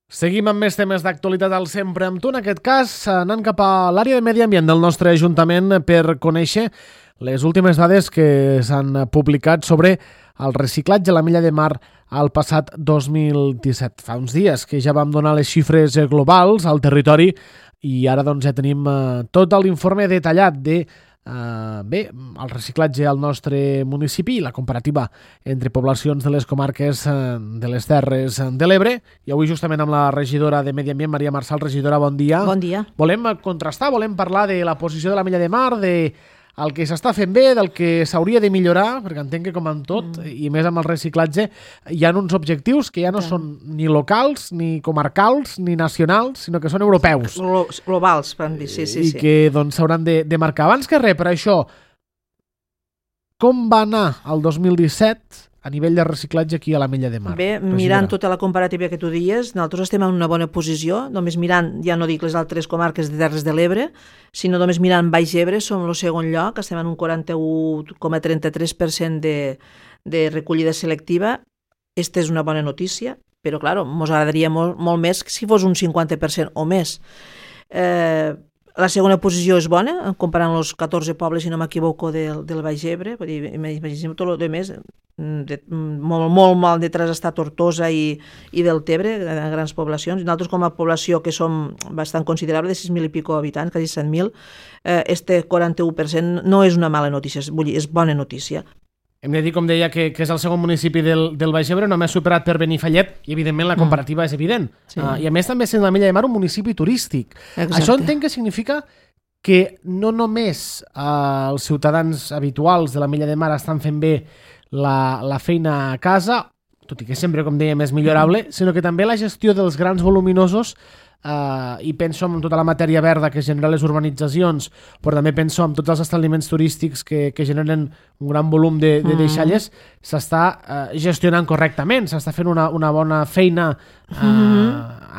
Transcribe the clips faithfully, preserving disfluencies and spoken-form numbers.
Seguim amb més temes d'actualitat al Sempre amb tu, en aquest cas anant cap a l'àrea de medi ambient del nostre Ajuntament per conèixer les últimes dades que s'han publicat sobre el reciclatge a la Mella de Mar al passat dos mil disset. Fa uns dies que ja vam donar les xifres globals al territori i ara doncs ja tenim tot l'informe detallat de Uh, bé, el reciclatge al nostre municipi i la comparativa entre poblacions de les comarques uh, de les Terres de l'Ebre. I avui justament amb la regidora de Medi Ambient, Maria Marçal. Regidora, bon dia. Bon dia. Volem contrastar, volem parlar de la posició de la Mella de Mar, de el que s'està fent bé, del que s'hauria de millorar, perquè entenc que com en tot, mm. i més amb el reciclatge, hi ha uns objectius que ja no ja. són ni locals, ni comarcals, ni nacionals, sinó que són europeus. Globals, van dir, sí, sí. I sí. que doncs s'hauran de, de marcar. Abans que res, per això, com va anar el dos mil disset a nivell de reciclatge aquí a la Mella de Mar? Bé, mirant tota la comparativa que tu dies, nosaltres estem en una bona posició, només mirant, ja no dic les altres comarques de Terres de l'Ebre, sinó només mirant Baix Ebre, som el segon lloc, estem en un quaranta-u coma trenta-tres per cent de, de recollida selectiva. Esta és una bona notícia, però, clar, ens agradaria molt, molt més si fos un cinquanta per cent o més. Eh, La segona posició és bona, comparant els catorze pobles, si no m'equivoco, del, del Baix Ebre. Vull dir, imaginem tot el més, de, molt, molt mal detrás està Tortosa i, i del Tebre, grans poblacions. Nosaltres, com a població que som bastant considerable, de sis mil i pico habitants, quasi set mil, eh, este quaranta-u per cent no és una mala notícia, vull dir, és bona notícia. Hem de dir, com deia, que, que és el segon municipi del, del Baix Ebre, només superat per Benifallet, i evidentment la comparativa mm. és evident. Sí. Uh, I a més també sent la Mella de Mar un municipi turístic. Exacte. Això entenc que significa que no només uh, els ciutadans habituals de la Mella de Mar estan fent bé la, la feina a casa, tot i que sempre, com dèiem, és millorable, mm. sinó que també la gestió dels grans voluminosos. Uh, i penso en tota la matèria verda que genera les urbanitzacions, però també penso en tots els establiments turístics que, que generen un gran volum de, de deixalles, mm. s'està uh, gestionant correctament, s'està fent una, una bona feina uh, mm.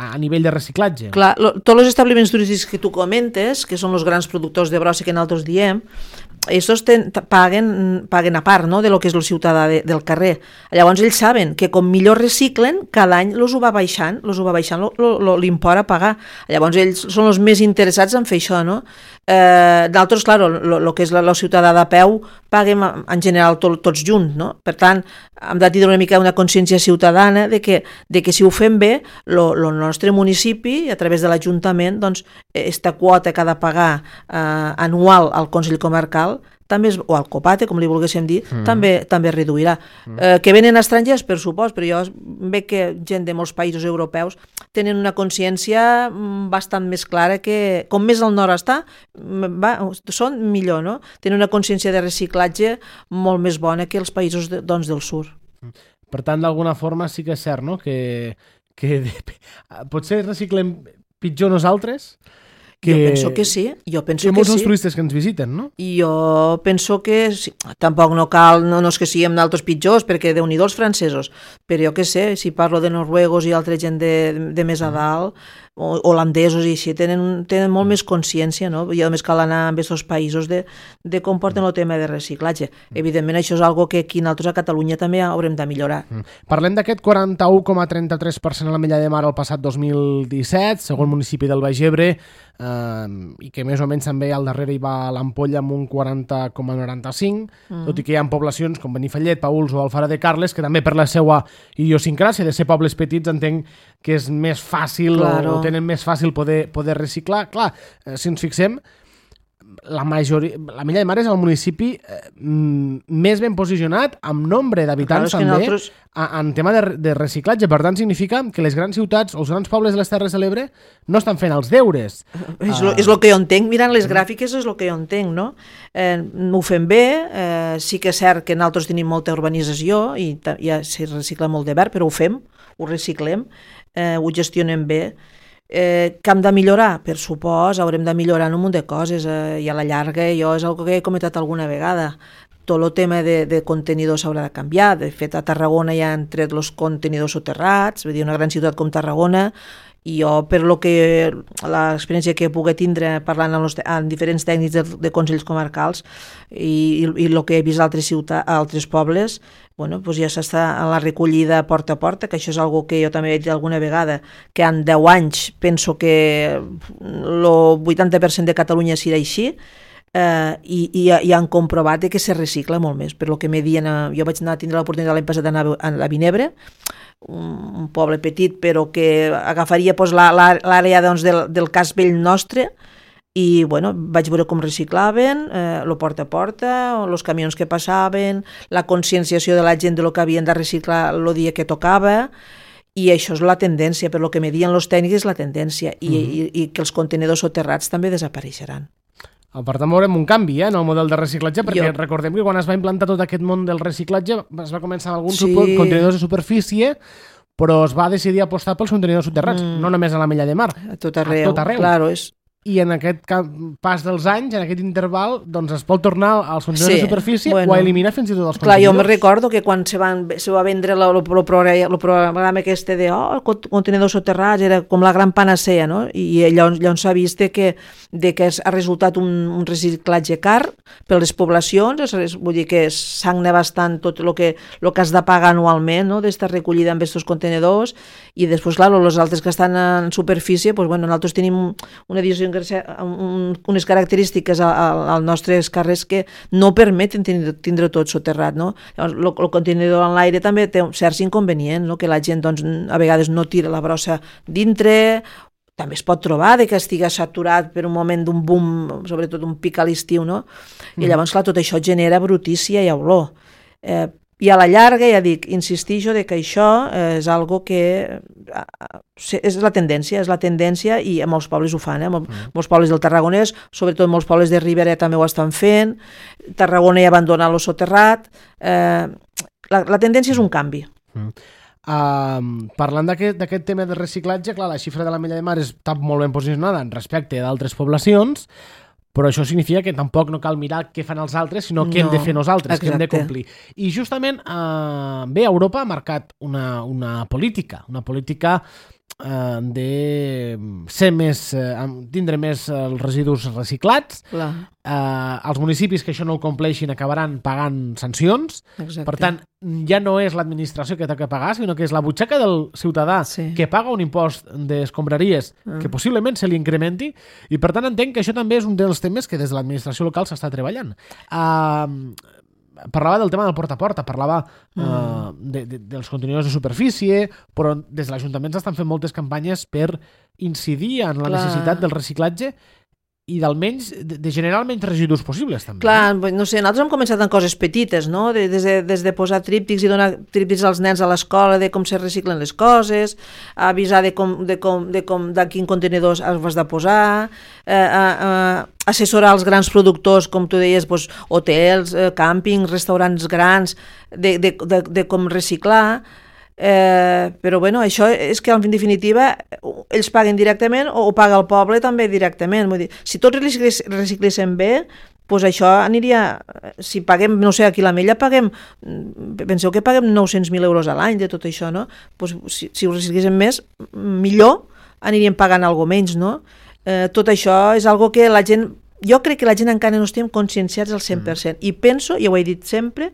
a nivell de reciclatge. Clar, lo, tots els establiments turístics que tu comentes, que són els grans productors de brossa que nosaltres diem, estos ten, paguen, paguen a part, no?, de lo que és el ciutadà de, del carrer. Llavors ells saben que com millor reciclen, cada any los ho va baixant, los ho va baixant l'import a pagar. Llavors ells són els més interessats en fer això, no? Eh, d'altres, clar, el que és la, la ciutadà de peu paguem en general to, tots junts, no? Per tant, hem de tindre una mica una consciència ciutadana de que, de que si ho fem bé, el nostre municipi, a través de l'Ajuntament, doncs, esta quota que ha de pagar eh, anual al Consell Comarcal, també és, o al Copate, com li volguéssim dir, mm. també també reduirà. Mm. Eh, que venen estrangers, per supost, però jo veig que gent de molts països europeus tenen una consciència bastant més clara que, com més al nord està, va, són millor, no? Tenen una consciència de reciclatge molt més bona que els països de, doncs, del sud. Per tant, d'alguna forma sí que és cert, no?, que, que potser reciclem pitjor nosaltres? Que, jo penso que sí, jo penso que, que molts sí. Els turistes que ens visiten, no? I jo penso que sí. Tampoc no cal, no, no és que siguem d'altres pitjors, perquè déu-n'hi-do els francesos, però jo què sé, si parlo de noruegos i altra gent de, de més a dalt, o holandesos i així, tenen, tenen molt més consciència, no? I només cal anar a aquests països de, de com porten el tema de reciclatge. Evidentment, això és algo que aquí nosaltres a Catalunya també haurem de millorar. Mm. Parlem d'aquest quaranta-u coma trenta-tres per cent a la Mella de Mar el passat dos mil disset, segon municipi del Baix Ebre, eh, i que més o menys també al darrere hi va l'Ampolla amb un quaranta coma noranta-cinc, mm. tot i que hi ha poblacions com Benifallet, Paüls o Alfara de Carles, que també per la seva idiosincràsia de ser pobles petits entenc que és més fàcil, claro, o, o tenen més fàcil poder, poder reciclar. Clar, eh, si ens fixem, la majoria, la Mella de Mar és el municipi eh, més ben posicionat amb nombre d'habitants, claro, també nosaltres... a, en tema de, de reciclatge. Per tant, significa que les grans ciutats o els grans pobles de les Terres de l'Ebre no estan fent els deures. És el uh... que jo entenc, mirant les gràfiques és el que jo entenc, no? Eh, ho fem bé, eh, sí que és cert que nosaltres tenim molta urbanització i ja s'hi recicla molt de verd, però ho fem, ho reciclem, eh, ho gestionem bé. Eh, que hem de millorar? Per supost, haurem de millorar en un munt de coses, eh, i a la llarga jo és una que he comentat alguna vegada. Tot el tema de, de contenidors s'haurà de canviar. De fet, a Tarragona ja han tret els contenidors soterrats, vull dir, una gran ciutat com Tarragona, I jo, per lo que l'experiència que he pogut tindre parlant amb, los, amb diferents tècnics de, de consells comarcals i, i el que he vist a altres ciutats, a altres pobles, bueno, doncs ja s'està a la recollida porta a porta, que això és algo que jo també he dit alguna vegada, que en deu anys penso que el vuitanta per cent de Catalunya serà així, eh, i, i, i han comprovat que se recicla molt més. Per lo que me dient, jo vaig anar a tindre l'oportunitat l'any passat d'anar a, a Vinebre, un poble petit però que agafaria pues, l'àrea doncs, del, del cas vell nostre, i bueno, vaig veure com reciclaven, eh, lo porta a porta, els camions que passaven, la conscienciació de la gent de lo que havien de reciclar el dia que tocava, i això és la tendència, per lo que me diuen els tècnics és la tendència, i, mm-hmm. i, i que els contenidors soterrats també desapareixeran. Per tant, veurem un canvi eh, en el model de reciclatge, perquè jo... recordem que quan es va implantar tot aquest món del reciclatge es va començar amb alguns sí. contenidors de superfície, però es va decidir apostar pels contenidors soterrats, mm. no només a la Mella de Mar, a tot arreu. A tot arreu. Claro, és... I en aquest pas dels anys, en aquest interval, doncs es pot tornar als contenidors sí, de superfície bueno, o a eliminar fins i tot els clar, contenidors. Jo me recordo que quan se, van, se va vendre el programa aquest de oh, contenidors soterrats, era com la gran panacea, no? I llavors, llavors s'ha vist que, de que ha resultat un, un reciclatge car per les poblacions, és, vull dir que sagna bastant tot el que, lo que has de pagar anualment, no? D'esta recollida amb aquests contenidors, i després, clar, els altres que estan en superfície, doncs, bueno, nosaltres tenim una edició un, unes característiques als nostres carrers que no permeten tindre, tindre tot soterrat, no? Llavors, el, el contenidor en l'aire també té certs inconvenients, no? Que la gent doncs, a vegades no tira la brossa dintre, també es pot trobar de que estigui saturat per un moment d'un boom, sobretot un pic a l'estiu, no? I llavors, clar, tot això genera brutícia i olor. Eh, I a la llarga, ja dic, insistixo de que això és algo que és la tendència, és la tendència i molts pobles ho fan, eh? Mol, mm. molts pobles del Tarragonès, sobretot molts pobles de Ribera també ho estan fent, Tarragona ha abandonat lo soterrat, eh, la, la tendència és un canvi. Mm. Uh, parlant d'aquest tema de reciclatge, clar, la xifra de la Mella de Mar està molt ben posicionada en respecte d'altres poblacions, però això significa que tampoc no cal mirar què fan els altres, sinó què no, hem de fer nosaltres, exacte. Que hem de complir. I justament, eh, bé, Europa ha marcat una, una política, una política eh, de ser més, eh, tindre més els residus reciclats. Clar. Eh, els municipis que això no ho compleixin acabaran pagant sancions. Exacte. Per tant, ja no és l'administració que té que pagar, sinó que és la butxaca del ciutadà sí. que paga un impost d'escombraries ah. que possiblement se li incrementi, i per tant entenc que això també és un dels temes que des de l'administració local s'està treballant. Uh, parlava del tema del porta a porta, parlava mm. uh, de, de, dels contenidors de superfície, però des de l'Ajuntament s'estan fent moltes campanyes per incidir en la Clar. necessitat del reciclatge i d'almenys de, de generar menys residus possibles també. Clar, no sé, nosaltres hem començat amb coses petites, no? De, des, de, des de posar tríptics i donar tríptics als nens a l'escola de com se reciclen les coses, avisar de com de com de com de quin contenidor has de posar, eh, eh, assessorar els grans productors, com tu deies, doncs, hotels, eh, càmpings, restaurants grans, de, de, de, de com reciclar. Eh, però bueno, això és que en definitiva ells paguen directament o ho paga el poble també directament. Vull dir, si tots recicléssim bé, doncs això aniria, si paguem, no sé, aquí a la Mella paguem, penseu que paguem nou-cents mil euros a l'any de tot això, no? Doncs si, si ho recicléssim més, millor aniríem pagant alguna menys, no? Eh, tot això és algo que la gent, jo crec que la gent encara no estem conscienciats al cent per cent, mm. i penso, i ho he dit sempre,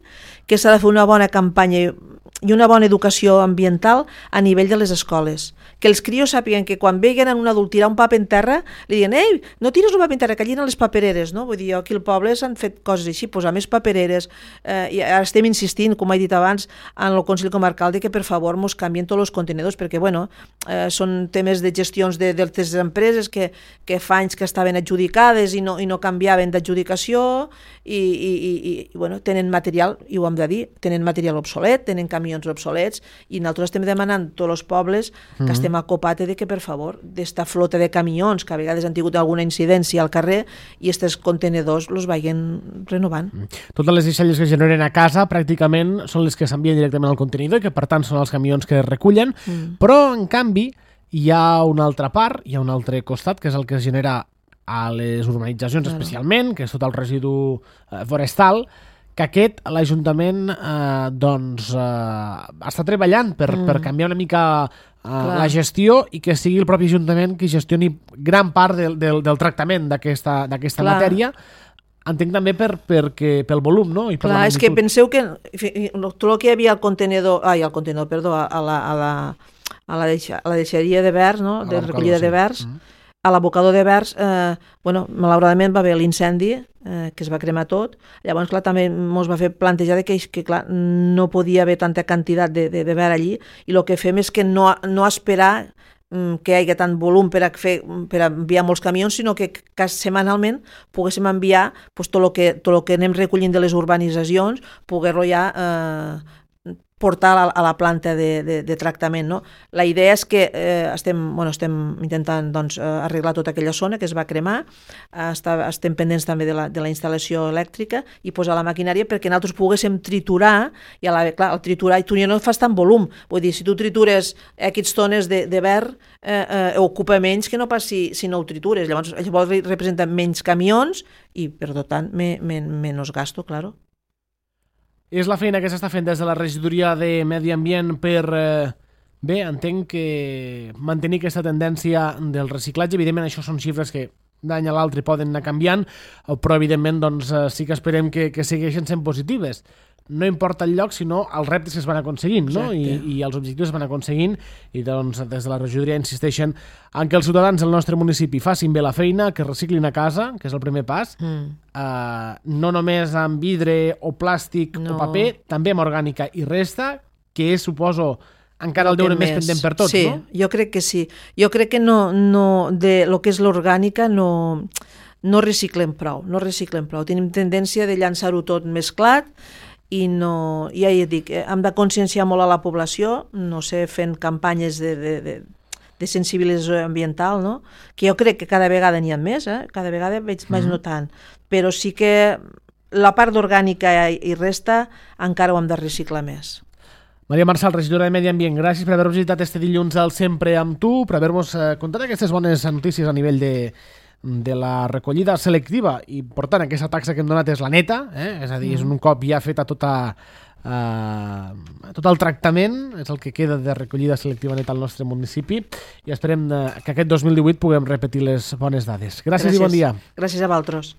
que s'ha de fer una bona campanya i una bona educació ambiental a nivell de les escoles. Que els crios sàpiguen que quan veguen un adult tirar un paper en terra, li diuen, ei, no tires un paper en terra, que allí eren les papereres, no? Vull dir, aquí al poble s'han fet coses així, posar més papereres, eh, i ara estem insistint, com he dit abans, en el Consell Comarcal, de que per favor mos canvien tots els contenidors, perquè, bueno, eh, són temes de gestions de, de les empreses que, que fa anys que estaven adjudicades i no, i no canviaven d'adjudicació, i, i, i, i, bueno, tenen material, i ho hem de dir, tenen material obsolet, tenen camions obsolets, i nosaltres estem demanant a tots els pobles que mm-hmm. estem acopat de que, per favor, d'esta flota de camions, que a vegades han tingut alguna incidència al carrer, i aquests contenidors els vagin renovant. Totes les deixalles que generen a casa pràcticament són les que s'envien directament al contenidor i que, per tant, són els camions que es recullen, mm. però, en canvi, hi ha una altra part, hi ha un altre costat, que és el que es genera a les urbanitzacions, claro. especialment, que és tot el residu eh, forestal, que aquest, l'Ajuntament, eh, doncs, eh, està treballant per, mm. per canviar una mica uh, la gestió i que sigui el propi Ajuntament qui gestioni gran part del, del, del tractament d'aquesta matèria. Entenc també per, perquè, pel volum, no? I per Clar, és que penseu que tot el que hi havia al contenedor, ai, al contenedor, perdó, a la, a la, a la, deixa, a la deixeria de vers, no? De recollida de vers, sí. mm. a l'abocador de vers, eh, bueno, malauradament va haver l'incendi, eh, que es va cremar tot. Llavors, clar, també ens va fer plantejar que, que clar, no podia haver tanta quantitat de, de, de vers allí, i el que fem és que no, no esperar que hi hagi tant volum per a, fer, per a enviar molts camions, sinó que, que setmanalment poguéssim enviar pues, tot el que, tot el que anem recollint de les urbanitzacions, poder-lo ja eh, portar a la, a la planta de, de, de tractament. No? La idea és que eh, estem, bueno, estem intentant doncs, arreglar tota aquella zona que es va cremar, eh, està, estem pendents també de la, de la instal·lació elèctrica i posar la maquinària perquè nosaltres poguéssim triturar, i a la, clar, el triturar i tu ja no fas tant volum, vull dir, si tu tritures aquests tones de, de ver, eh, eh, ocupa menys que no pas si, si no ho tritures, llavors llavors representa menys camions i per tant me, me, menys gasto, claro. És la feina que s'està fent des de la regidoria de Medi Ambient per, eh, bé, entenc que mantenir aquesta tendència del reciclatge. Evidentment, això són xifres que d'any a l'altre poden anar canviant, però evidentment doncs, sí que esperem que, que segueixin sent positives. No importa el lloc, sinó els reptes que es van aconseguint, no? I, i els objectius es van aconseguint, i doncs des de la regidoria insisteixen en que els ciutadans del nostre municipi facin bé la feina, que reciclin a casa, que és el primer pas, mm. uh, no només amb vidre o plàstic no. o paper, també amb orgànica i resta, que és, suposo, encara el deure més pendent per tots, sí, no? Sí, jo crec que sí. Jo crec que no, no de lo que és l'orgànica no, no reciclem prou, no reciclem prou. Tenim tendència de llançar-ho tot mesclat, i no, ja hi dic, hem de conscienciar molt a la població, no sé, fent campanyes de, de, de, de sensibilització ambiental, no? Que jo crec que cada vegada n'hi ha més, eh? Cada vegada veig més notant, però sí que la part d'orgànica i resta encara ho hem de reciclar més. Maria Marçal, regidora de Medi Ambient, gràcies per haver visitat este dilluns al Sempre amb tu, per haver-nos contat aquestes bones notícies a nivell de de la recollida selectiva, i per tant aquesta taxa que hem donat és la neta, eh? És a dir, és un cop ja feta tota, uh, tot el tractament, és el que queda de recollida selectiva neta al nostre municipi, i esperem que aquest dos mil divuit puguem repetir les bones dades. Gràcies, Gràcies. i bon dia. Gràcies a vosaltres.